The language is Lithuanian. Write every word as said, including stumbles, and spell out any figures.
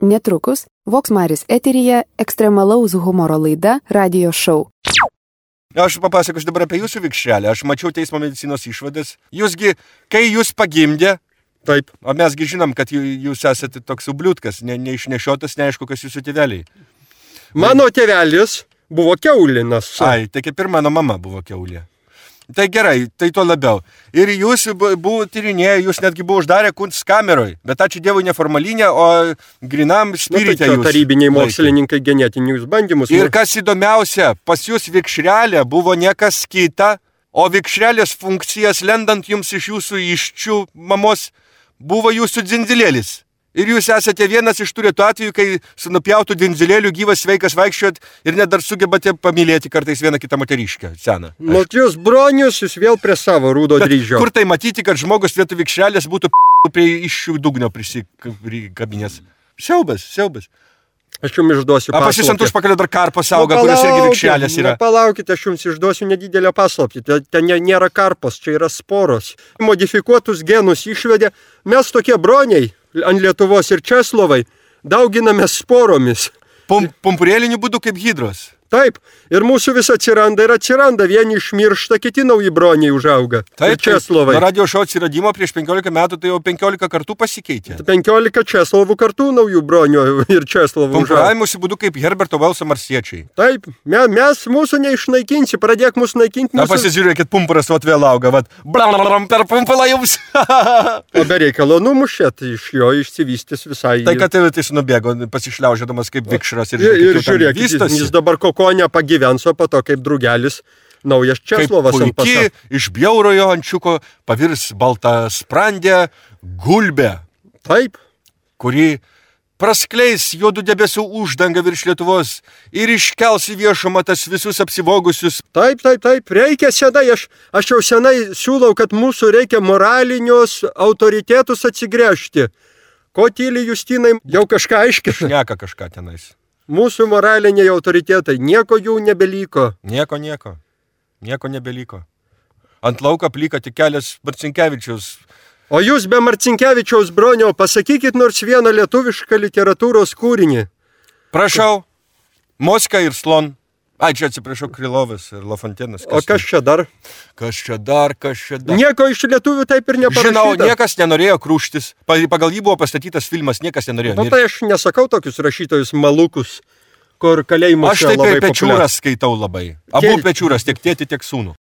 Netrukus Voks Maris eteryje ekstremalaus humoro laida Radio Show. Aš papasakosiu dabar apie jūsų vikšrelę. Aš mačiau teismo medicinos išvadas. Jūsgi, kai jūs pagimdė, taip, o mesgi žinom, kad jūs esate toks ubliutkas, ne, neišnešiotas, neaišku, kas jūsų tėveliai. Mano tėvelis buvo kiaulinas. Ai, tai kaip ir mano mama buvo kiaulė. Tai gerai, tai to labiau. Ir jūs buvo tyrinėję, jūs netgi buvo uždarę kunstkameroj, bet ačiū Dievui neformalinė, o grinam spirite nu, tai jūs. Tarybiniai mokslininkai genetinius bandymus. Ir kas įdomiausia, pas jūs vikšrelė buvo niekas kita, o vikšrelės funkcijas lendant jums iš jūsų iščių mamos buvo jūsų dzindzilėlis. Ir jūs esate vienas iš tų retų atvejų, kai su nupjautų dzindzilėliu gyvas sveikas vaikščiot ir net dar sugebate pamylėti kartais vieną kitą moteriškę seną. Matijos bronius, jūs vėl prie savo rūdo dryžio. Kur tai matyti, kad žmogus vietoj vikšrelės būtų p*** prie iššių dugnio prisikabinės? Siaubas, siaubas. Aš jums išduosiu paslaptį. A pas jūs ant užpakalio dar karpos auga, kurios irgi vikšrelės yra. Palaukite, aš jums išduosiu nedidelę paslaptį. Ten nėra karpos, čia yra sporos. Modifikuotus genus išvedė. Mes tokie broniai ant Lietuvos ir Česlovai dauginame sporomis. Pum, pumpurėliniu būdu kaip hidros. Taip, ir mūsų vis atsiranda ir atsiranda, vieni išmiršta, kiti nauji broniai užauga. Taip, ir Česlovai. Nuo radio šou atsiradimo prieš penkiolika metų, tai jau penkiolika kartų pasikeitė. penkiolika Česlovų kartų naujų bronių ir Česlovų užauga. Pumpuravimusi būdu kaip Herberto Velso marsiečiai. Taip, me, mes mūsų neišnaikinsi, pradėk mūsų naikinti. Na, mūsų... pasižiūrėkit, pumpuras vat vėl auga, vat, blablablam per pumpulą jums. O be reikalo numušėt, iš jo išsivystys visai. Tai kad tai jis nubėgo, pasišliaužėdamas kaip vikšras ir, ir, ir žiūrėk, jis, jis dabar ko nepagyvens, o po to kaip drugelis naujas Česlovas ant pasako. Kaip puiki iš bjaurojo ančiuko pavirs baltą sprandę gulbę. Taip. Kuri praskleis juodų debesų uždangą virš Lietuvos ir iškels į viešumą tas visus apsivogusius. Taip, taip, taip, reikia senai, aš, aš jau senai siūlau, kad mūsų reikia moralinius autoritetus atsigręžti. Ko tyli Justinai, jau kažką aiškina? Šneka kažką tenais. Mūsų moraliniai autoritetai, nieko jų nebeliko. Nieko, nieko. Nieko nebeliko. Ant lauką plyka tik kelias Marcinkevičiaus. O jūs be Marcinkevičiaus bronio pasakykit nors vieną lietuvišką literatūros kūrinį. Prašau, Moska ir Slon. Ai, čia atsiprašau, Krylovas ir Lafontenas. O kas čia dar? Kas čia dar, kas čia dar? Nieko iš lietuvių taip ir neparašyta. Žinau, niekas nenorėjo krūštis. Pagal jį buvo pastatytas filmas, niekas nenorėjo. Na, tai aš nesakau tokius rašytojus malukus, kur kalėjimuose labai populiarūs. Aš taip ir Pečiūras skaitau labai. Abu Pečiūras, tiek tėti, tiek sūnų.